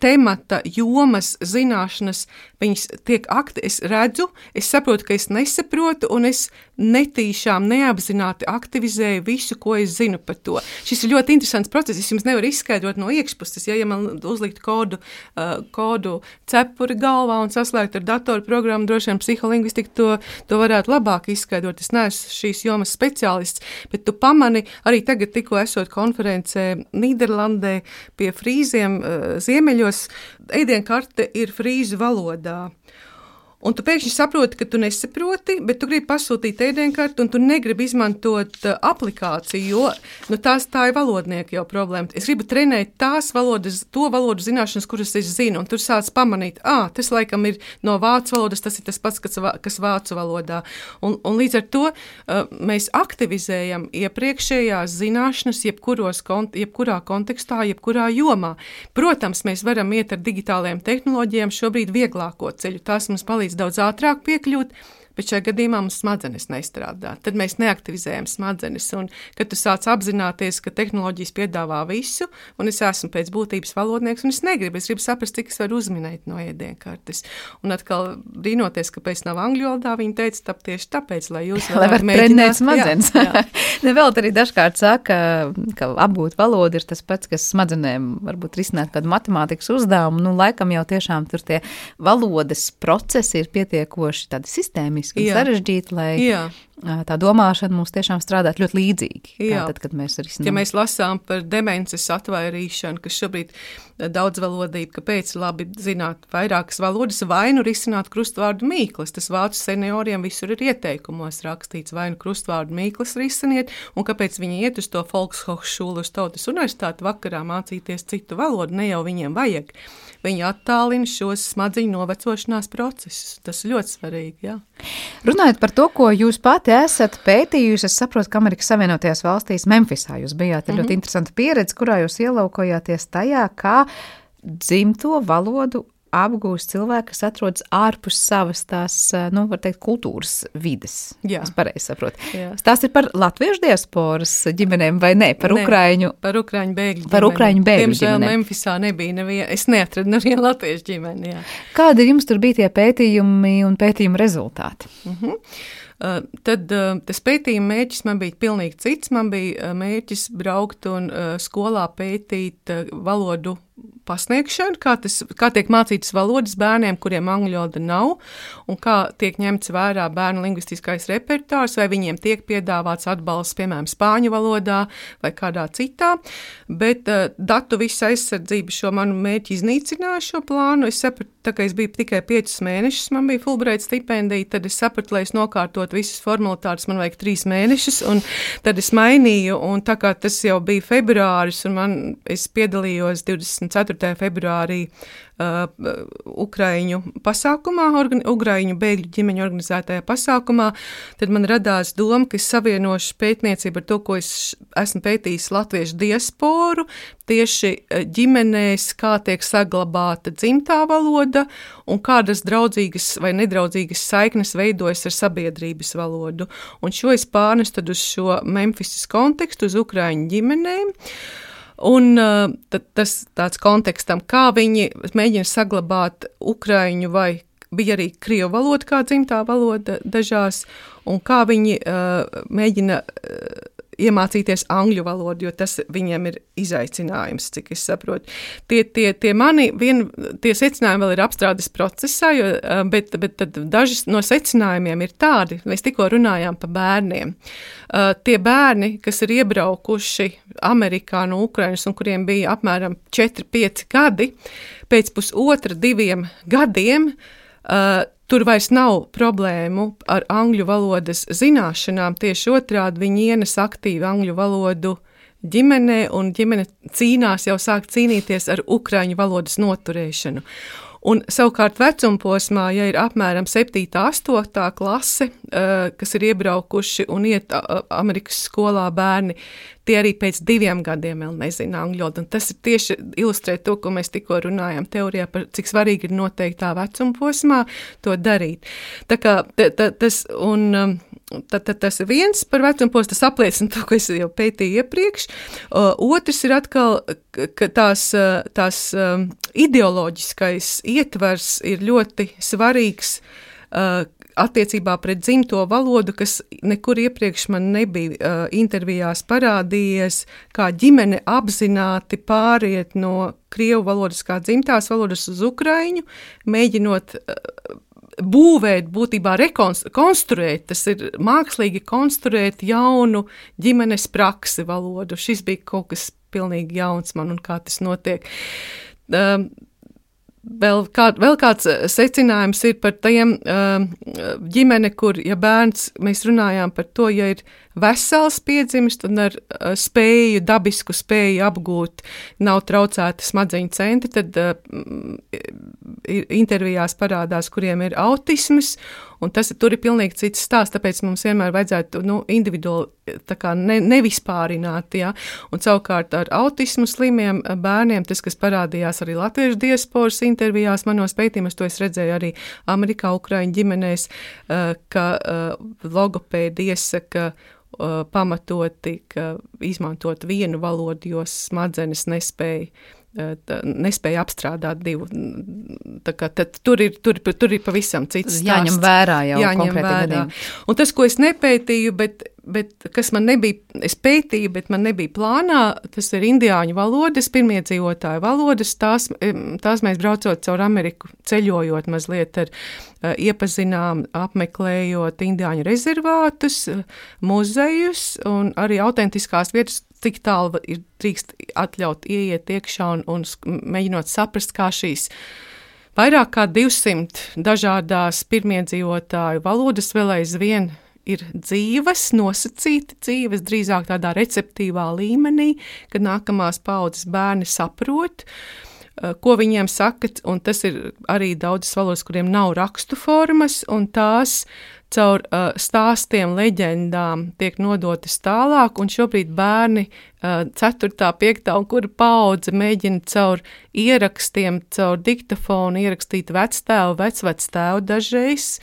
temata, jomas, zināšanas, viņas tiek es redzu, es saprotu, ka es nesaprotu, un es netīšām, neapzināti aktivizēju visu, ko es zinu par to. Šis ir ļoti interesants process, es jums nevaru izskaidrot no iekšpuses, ja man uzlikt kodu cepuri galvā un saslēgt ar datoru programmu, droši vien psiholingvistika to varētu labāk izskaidrot. Es neesmu šīs jomas speciālists, bet tu pamani, arī tagad tikko esot konferencē Nīderlandē pie frīziem ziemeļos, ēdienkarte ir frīzu valodā. Un tu pēkšņi saproti, ka tu nesaproti, bet tu gribi pasūtīt ēdienkarti un tu negribi izmantot aplikāciju, jo tā ir valodnieka jau problēma. Es gribu trenēt to valodu zināšanas, kuras es zinu, un tur sāc pamanīt, tas laikam ir no vācu valodas, tas ir tas pats, kas vācu valodā. Un līdz ar to mēs aktivizējam iepriekšējās zināšanas jebkurā kontekstā, jebkurā jomā. Protams, mēs varam iet ar digitālajām tehnoloģijām šobrīd vieglāko ceļu. Tās mums palīdz daudz ātrāk piekļūt, bet šajā gadījumā mums smadzenes nestrādā. Tad mēs neaktivizējam smadzenes, un kad tu sāc apzināties, ka tehnoloģijas piedāvā visu, un es esmu pēc būtības valodnieks, un es gribu saprast, cik es varu uzminēt no ēdienkartes. Un atkal brīnoties, kāpēc nav angļu valodā, viņi teica, tieši tāpēc, lai jūs varētu mēģināt smadzenes. Nevēl arī dažkārt saka, ka apgūt valodu ir tas pats, kas smadzenēm varbūt risināt kādu matemātikas uzdevumu. Laikam jau tiešām tur tie valodas procesi ir pietiekoši tādi sistēmiski un sarežģīti, lai tā domāšana mums tiešām strādāt ļoti līdzīgi. Tad, kad mēs risinām. Ja mēs lasām par demences atvairīšanu, kas šobrīd daudzvalodība, kāpēc labi zināt vairākas valodas, vai nu risināt krustvārdu mīklas. Tas vācu senioriem visur ir ieteikumos rakstīts, vai nu krustvārdu mīklas risiniet, un kāpēc viņi iet uz to Volkshochschule, uz Tautas universitāti vakarā mācīties citu valodu, ne jau viņiem vajag. Viņi attālina šos smadziņu novecošanās procesus. Tas ir ļoti svarīgi, Runājot par to, ko jūs pati esat pētījusi, es saprotu, ka Amerikas Savienotajās valstīs Memphisā jūs bijāt ļoti interesanta pieredze, kurā jūs ielaukojāties tajā, kā dzimto valodu apgūst cilvēki, kas atrodas ārpus savas tās, var teikt, kultūras vides. Es pareizi saprotu. Tās ir par latviešu diasporas ģimenēm vai ne? Par ukraiņu bēgļu ģimeni. Par ukraiņu bēgļu ģimeni. Diemžēl Memphisā nebija neviena. Es neatradu nevienu latviešu ģimeni. Kādi jums tur bija tie pētījumi un pētījuma rezultāti? Tad tas pētījuma mērķis man bija pilnīgi cits. Man bija mērķis braukt un skolā pētīt valodu pasniegšanu, kā tiek mācītas valodas bērniem, kuriem angļu valoda nav, un kā tiek ņemts vērā bērnu lingvistiskais repertuārs, vai viņiem tiek piedāvāts atbalsts, piemēram, spāņu valodā vai kādā citā, bet datu visa aizsardzība šo manu mērķi iznīcināja šo plānu. Es sapratu, tā kā es biju tikai 5 mēnešus, man bija Fulbright stipendija, tad es sapratu, lai es nokārtot visas formalitātes, man vajag 3 mēnešus, un tad es mainīju, un tā kā tas jau bija februāris, un es piedalījos 24. februārī Ukraiņu pasākumā, Ukraiņu bēgļu ģimeņu organizētajā pasākumā, tad man radās doma, ka es savienošu pētniecību ar to, ko es esmu pētījis latviešu diasporu, tieši ģimenēs, kā tiek saglabāta dzimtā valoda un kādas draudzīgas vai nedraudzīgas saiknes veidojas ar sabiedrības valodu. Un šo es pārnestu tad uz šo Memphisas kontekstu, uz Ukraiņu ģimenēm. Un tas tāds kontekstam, kā viņi mēģina saglabāt ukraiņu vai bija arī krievu valoda kā dzimtā valoda dažās, un kā viņi mēģina iemācīties angļu valodu, jo tas viņiem ir izaicinājums, cik es saprotu. Tie secinājumi vēl ir apstrādes procesā, bet tad daži no secinājumiem ir tādi, mēs tikko runājām par bērniem. Tie bērni, kas ir iebraukuši Amerikā no Ukrainas un kuriem bija apmēram 4-5 gadi, pēc 1,5-2 gadiem, tur vairs nav problēmu ar angļu valodas zināšanām, tieši otrādi viņi ienes aktīvi angļu valodu ģimenē, un ģimene cīnās, jau sāk cīnīties ar ukraiņu valodas noturēšanu. Un savukārt vecumposmā, ja ir apmēram 7. 8. klase, kas ir iebraukuši un iet Amerikas skolā bērni, tie arī pēc 2 gadiem vēl nezina angļu valodu. Un tas ir tieši ilustrē to, ko mēs tikko runājām teorijā par cik svarīgi ir noteiktā vecumposmā to darīt. Tā kā tas, un Tad tas ir viens par vecumposmu, tas apliecina to, ko es jau pētīju iepriekš. Otrs ir atkal, ka tās ideoloģiskais ietvers ir ļoti svarīgs attiecībā pret dzimto valodu, kas nekur iepriekš man nebija intervijās parādījies, kā ģimene apzināti pāriet no krievu valodas kā dzimtās valodas uz ukraiņu, mēģinot būvēt, būtībā konstruēt, tas ir mākslīgi konstruēt jaunu ģimenes praksi valodu. Šis bija kaut kas pilnīgi jauns man un kā tas notiek. Vēl kāds secinājums ir par tiem ģimene, kur, ja bērns, mēs runājām par to, ja ir vesels piedzimis un ar dabisku spēju apgūt, nav traucēti smadzeņu centri, tad intervijās parādās, kuriem ir autisms, un tur ir pilnīgi cits stāsts, tāpēc mums vienmēr vajadzētu individuāli tā kā nevispārināt, ja? Un savukārt ar autismu slimiem bērniem, tas, kas parādījās arī latviešu diasporas intervijās, manos pētījumos, to es redzēju arī Amerikā, Ukraiņu ģimenēs, ka logopēdi iesaka pamatoti, ka izmantot vienu valodu, jo smadzenes nespēja apstrādāt divu. Tā kā tur ir pavisam cits stāsts. Jāņem vērā jau konkrēti gadījumi. Un tas, ko es nepētīju, bet kas man nebija, es pētīju, bet man nebija plānā, tas ir indiāņu valodas, pirmiedzīvotāju valodas, tās mēs braucot caur Ameriku, ceļojot mazliet iepazinām, apmeklējot indiāņu rezervātus, muzejus un arī autentiskās vietas, cik tālu ir drīkst atļaut ieiet iekšā un mēģinot saprast, kā šīs vairāk kā 200 dažādās pirmiedzīvotāju valodas vēl aizvien ir dzīves, nosacīti dzīves, drīzāk tādā receptīvā līmenī, kad nākamās paudzes bērni saprot, ko viņiem saka, un tas ir arī daudzas valodas, kuriem nav rakstu formas, un tās caur stāstiem, leģendām tiek nodotas tālāk, un šobrīd bērni 4., 5. un kura paudze mēģina caur ierakstiem, caur diktafonu ierakstīt vectēvu, vecvectēvu dažreiz,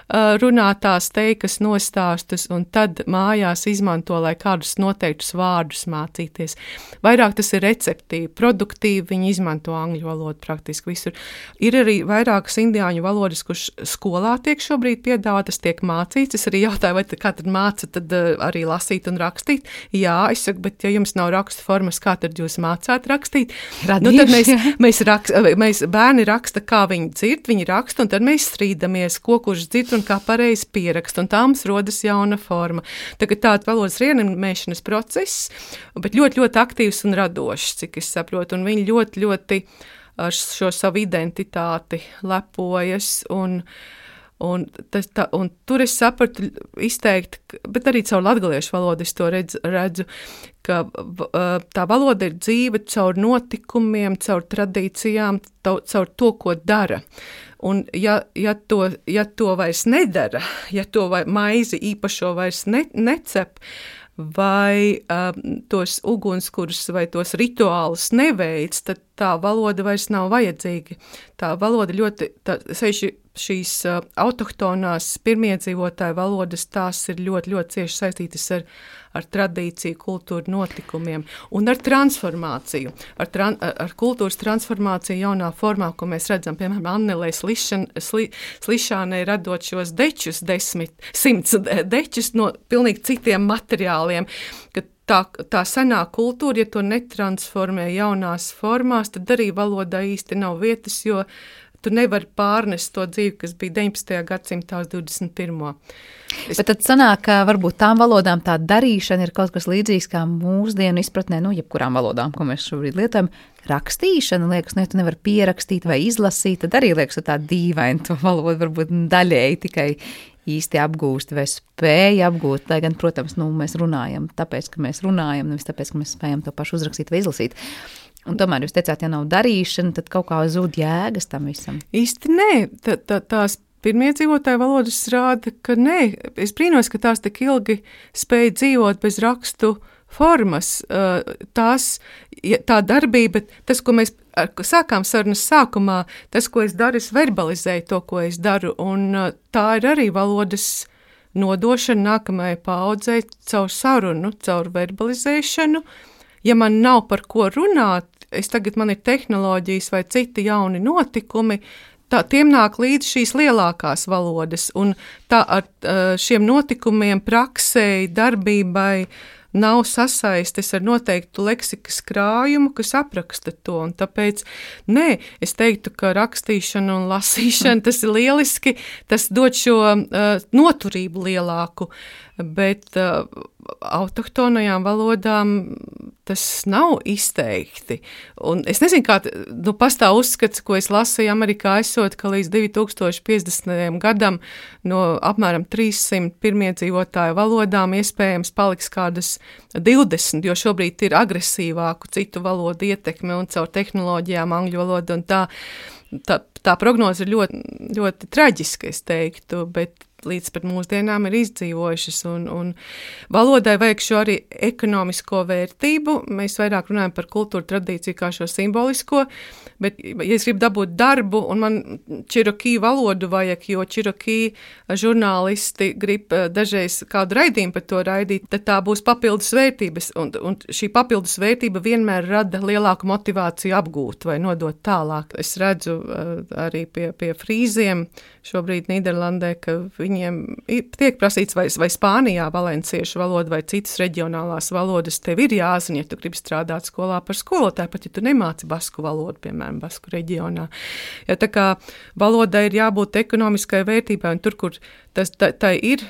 runātās teikas nostāstus un tad mājās izmanto, lai kādus noteiktus vārdus mācīties. Vairāk tas ir receptīvi, produktīvi, viņi izmanto angļu valodu praktiski visur. Ir arī vairākas indiāņu valodas, kurš skolā tiek šobrīd piedāvātas, tiek mācīts. Es arī jautāju, vai kā tad māca tad arī lasīt un rakstīt? Jā, es saku, bet ja jums nav rakstu formas, kā tad jūs mācāt rakstīt? Radījuši, tad mēs bērni raksta, kā viņi dzird, viņi raksta, un tad mēs strīdamies, ko kurš dzird un kā pareizi pierakst, un tā mums rodas jauna forma. Tagad tāds valodas rienemēšanas process, bet ļoti, ļoti aktīvs un radošs, cik es saprotu, un viņi ļoti, ļoti ar šo savu identitāti lepojas, un tur es sapratu izteikti, bet arī caur latgaliešu valodu es to redzu, ka tā valoda ir dzīve caur notikumiem, caur tradīcijām, caur to, ko dara. Un ja to vairs nedara, ja to maizi īpašo vairs necep, vai tos ugunskurus vai tos rituālus neveic, tad tā valoda vairs nav vajadzīga. Tā valoda ļoti, šīs autohtonās pirmiedzīvotāju valodas, tās ir ļoti, ļoti cieši saistītas ar tradīciju, kultūru notikumiem un ar transformāciju, ar kultūras transformāciju jaunā formā, ko mēs redzam, piemēram, Annelē Slišanai radot šos dečus, 100 dečus no pilnīgi citiem materiāliem, ka tā senā kultūra, ja to netransformē jaunās formās, tad arī valodā īsti nav vietas, jo tu nevari pārnest to dzīvi, kas bija 19. gadsimtā uz 21. Bet tad sanāk, ka varbūt tām valodām tā darīšana ir kaut kas līdzīgs kā mūsdienu izpratnē, jebkurām valodām, ko mēs šobrīd lietojam. Rakstīšana, liekas, tu nevari pierakstīt vai izlasīt, tad arī liekas, tā dīvaini to valodu varbūt daļēji tikai īsti apgūst vai spēja apgūt, lai gan, protams, mēs runājam tāpēc, ka mēs runājam, nevis tāpēc, ka mēs spējam to pašu uzrakstīt vai izlasīt. Un tomēr jūs teicāt, ja nav darīšana, tad kaut kā zūd jēgas tam visam. Īsti nē, tās pirmiedzīvotāju valodas rāda, ka nē. Es brīnos, ka tās tik ilgi spēja dzīvot bez rakstu formas. Tā darbība, tas, ko mēs sākām sarunas sākumā, tas, ko es daru, es verbalizēju to, ko es daru, un tā ir arī valodas nodošanu nākamajai paaudzei caur sarunu, caur verbalizēšanu. Ja man nav par ko runāt, man ir tehnoloģijas vai citi jauni notikumi, tiem nāk līdz šīs lielākās valodas, un tā ar šiem notikumiem, praksei, darbībai nav sasaistes ar noteiktu leksikas krājumu, kas apraksta to, un tāpēc, es teiktu, ka rakstīšana un lasīšana, tas ir lieliski, tas dod šo noturību lielāku, bet autohtonajām valodām tas nav izteikti. Un es nezinu, kā pastāv uzskats, ko es lasīju Amerikā esot, ka līdz 2050. Gadam no apmēram 300 pirmiedzīvotāju valodām iespējams paliks kādas 20, jo šobrīd ir agresīvāku citu valodu ietekme un caur tehnoloģijām angļu valodu, un tā prognoze ir ļoti, ļoti traģiska, es teiktu, bet līdz pat mūsdienām ir izdzīvojušas, un valodai vajag šo arī ekonomisko vērtību. Mēs vairāk runājam par kultūru tradīciju kā šo simbolisko, bet, ja es gribu dabūt darbu, un man čirokī valodu vajag, jo čirokī žurnālisti grib dažreiz kādu raidījumu par to raidīt, tad tā būs papildus vērtības, un šī papildus vērtība vienmēr rada lielāku motivāciju apgūt vai nodot tālāk. Es redzu arī pie frīziem šobrīd Nīderlandē, ka viņiem tiek prasīts vai Spānijā valenciešu valoda vai citas reģionālās valodas tev ir jāzina, ja tu gribi strādāt skolā par skolotāju, pat ja tu nemāci basku valodu, piemēram, basku reģionā. Ja tā kā valodai ir jābūt ekonomiskai vērtībai, un tur, kur tā ir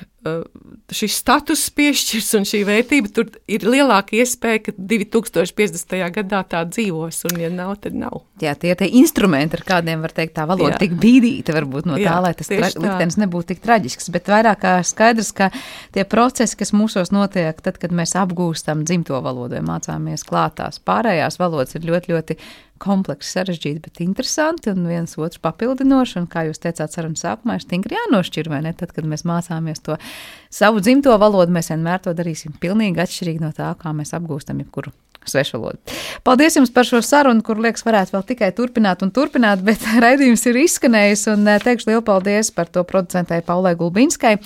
šis status piešķirs un šī vērtība, tur ir lielāka iespēja, ka 2050. Gadā tā dzīvos, un ja nav, tad nav. Jā, tie instrumenti, ar kādiem var teikt tā valoda tik bīdīta varbūt no tā, lai tas liktenis nebūtu tik traģisks, bet vairāk kā skaidrs, ka tie procesi, kas mūsos notiek, tad, kad mēs apgūstam dzimto valodu vai mācāmies klātās pārējās valodas, ir ļoti, ļoti komplekss, sarežģīti, bet interesanti un viens otrs papildinoši, un kā jūs teicāt sarunas sākumā, ir stingri jānošķir, vai ne? Tad, kad mēs mācāmies to savu dzimto valodu, mēs vienmēr to darīsim pilnīgi atšķirīgi no tā, kā mēs apgūstam jebkuru svešvalodu. Paldies jums par šo sarunu, kur, liekas, varētu vēl tikai turpināt, bet raidījums ir izskanējis, un teikšu lielu paldies par to producentei Paulai Gulbinskai.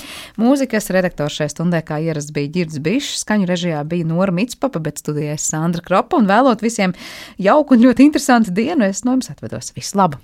Mūzikas redaktors šai stundē, kā ierasts, bija Ģirds Bišs, skaņu režijā bija Nora Mitspapa, bet studijā Sandra Kropa, un vēlot visiem jauku un ļoti interesantu dienu, es no jums atvedos. Visu labu!